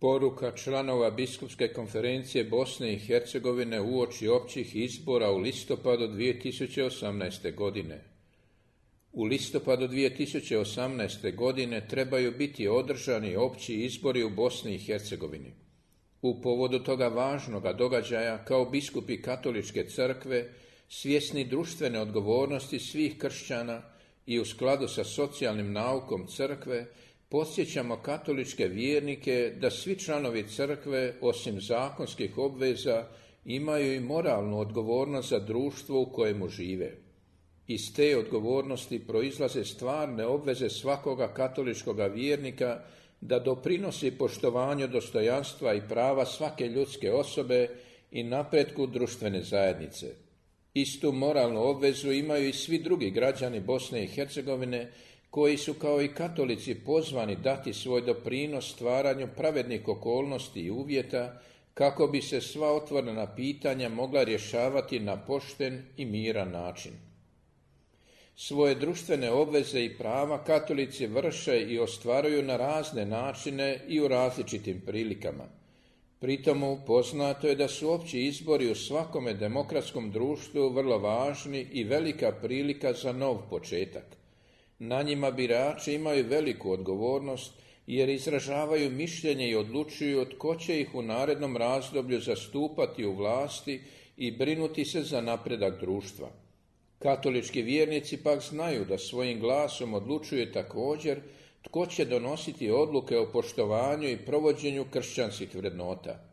Poruka članova Biskupske konferencije Bosne i Hercegovine uoči općih izbora u listopadu 2018. godine. U listopadu 2018. godine trebaju biti održani opći izbori u Bosni i Hercegovini. U povodu toga važnoga događaja, kao biskupi Katoličke crkve, svjesni društvene odgovornosti svih kršćana i u skladu sa socijalnim naukom crkve, podsjećamo katoličke vjernike da svi članovi crkve, osim zakonskih obveza, imaju i moralnu odgovornost za društvo u kojemu žive. Iz te odgovornosti proizlaze stvarne obveze svakoga katoličkoga vjernika da doprinosi poštovanju dostojanstva i prava svake ljudske osobe i napretku društvene zajednice. Istu moralnu obvezu imaju i svi drugi građani Bosne i Hercegovine, koji su kao i katolici pozvani dati svoj doprinos stvaranju pravednih okolnosti i uvjeta kako bi se sva otvorena pitanja mogla rješavati na pošten i miran način. Svoje društvene obveze i prava katolici vrše i ostvaruju na razne načine i u različitim prilikama. Pritomu poznato je da su opći izbori u svakome demokratskom društvu vrlo važni i velika prilika za nov početak. Na njima birači imaju veliku odgovornost jer izražavaju mišljenje i odlučuju tko će ih u narednom razdoblju zastupati u vlasti i brinuti se za napredak društva. Katolički vjernici pak znaju da svojim glasom odlučuje također tko će donositi odluke o poštovanju i provođenju kršćanskih vrednota.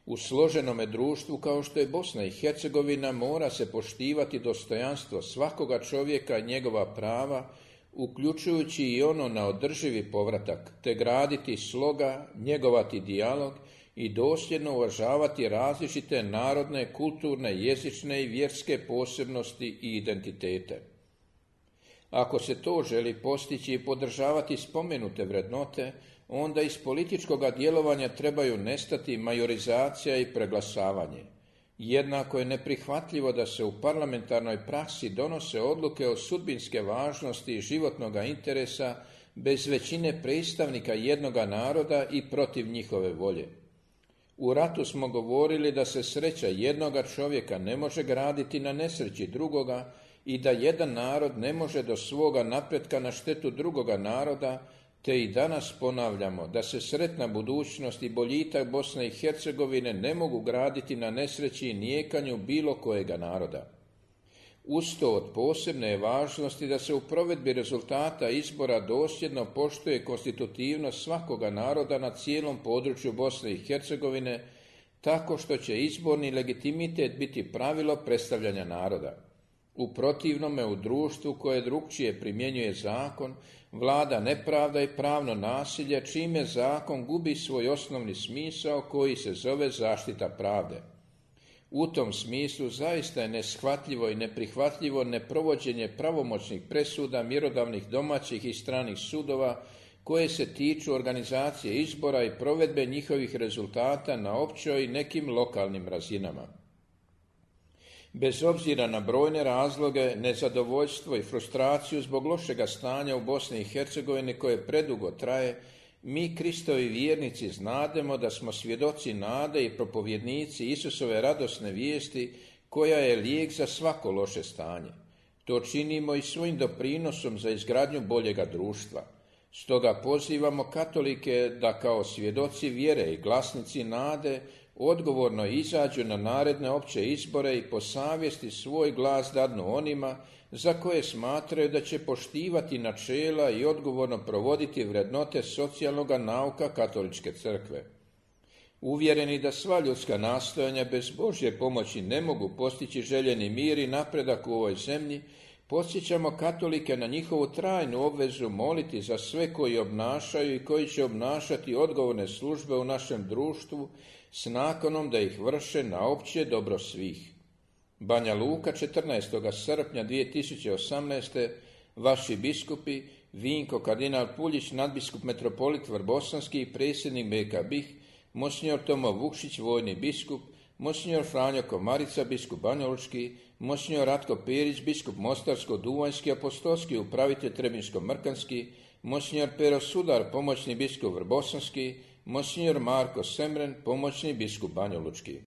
U složenome društvu kao što je Bosna i Hercegovina mora se poštivati dostojanstvo svakoga čovjeka i njegova prava, uključujući i ono na održivi povratak, te graditi sloga, njegovati dijalog i dosljedno uvažavati različite narodne, kulturne, jezične i vjerske posebnosti i identitete. Ako se to želi postići i podržavati spomenute vrednote, onda iz političkoga djelovanja trebaju nestati majorizacija i preglasavanje. Jednako je neprihvatljivo da se u parlamentarnoj praksi donose odluke o sudbinske važnosti i životnoga interesa bez većine predstavnika jednoga naroda i protiv njihove volje. U ratu smo govorili da se sreća jednoga čovjeka ne može graditi na nesreći drugoga i da jedan narod ne može do svoga napretka na štetu drugoga naroda, te i danas ponavljamo da se sretna budućnost i boljitak Bosne i Hercegovine ne mogu graditi na nesreći i nijekanju bilo kojega naroda. Uz to od posebne je važnosti da se u provedbi rezultata izbora dosljedno poštuje konstitutivnost svakoga naroda na cijelom području Bosne i Hercegovine, tako što će izborni legitimitet biti pravilo predstavljanja naroda. U protivnome, u društvu koje drukčije primjenjuje zakon, vlada nepravda i pravno nasilje, čime zakon gubi svoj osnovni smisao koji se zove zaštita pravde. U tom smislu zaista je neshvatljivo i neprihvatljivo neprovođenje pravomoćnih presuda mjerodavnih domaćih i stranih sudova koje se tiču organizacije izbora i provedbe njihovih rezultata na općoj i nekim lokalnim razinama. Bez obzira na brojne razloge, nezadovoljstvo i frustraciju zbog lošega stanja u Bosni i Hercegovini koje predugo traje, mi Kristovi vjernici znademo da smo svjedoci nade i propovjednici Isusove radosne vijesti koja je lijek za svako loše stanje. To činimo i svojim doprinosom za izgradnju boljega društva. Stoga pozivamo katolike da kao svjedoci vjere i glasnici nade odgovorno izađu na naredne opće izbore i po savjesti svoj glas dadnu onima za koje smatraju da će poštivati načela i odgovorno provoditi vrednote socijalnoga nauka Katoličke crkve. Uvjereni da sva ljudska nastojanja bez Božje pomoći ne mogu postići željeni mir i napredak u ovoj zemlji, podsjećamo katolike na njihovu trajnu obvezu moliti za sve koji obnašaju i koji će obnašati odgovorne službe u našem društvu s nakanom da ih vrše na opće dobro svih. Banja Luka, 14. srpnja 2018. Vaši biskupi, Vinko kardinal Puljić, nadbiskup metropolit Vrbosanski i predsjednik BK BiH, monsignor Tomo Vukšić, vojni biskup, monsignor Franjo Komarica, biskup banjalučki, monsignor Ratko Perić, biskup Mostarsko-Duvanjski, apostolski upravitelj Trebinsko-Mrkanski, monsignor Pero Sudar, pomoćni biskup Vrbosanski, Monsignor Marko Semren, pomoćni biskup Banjalučki.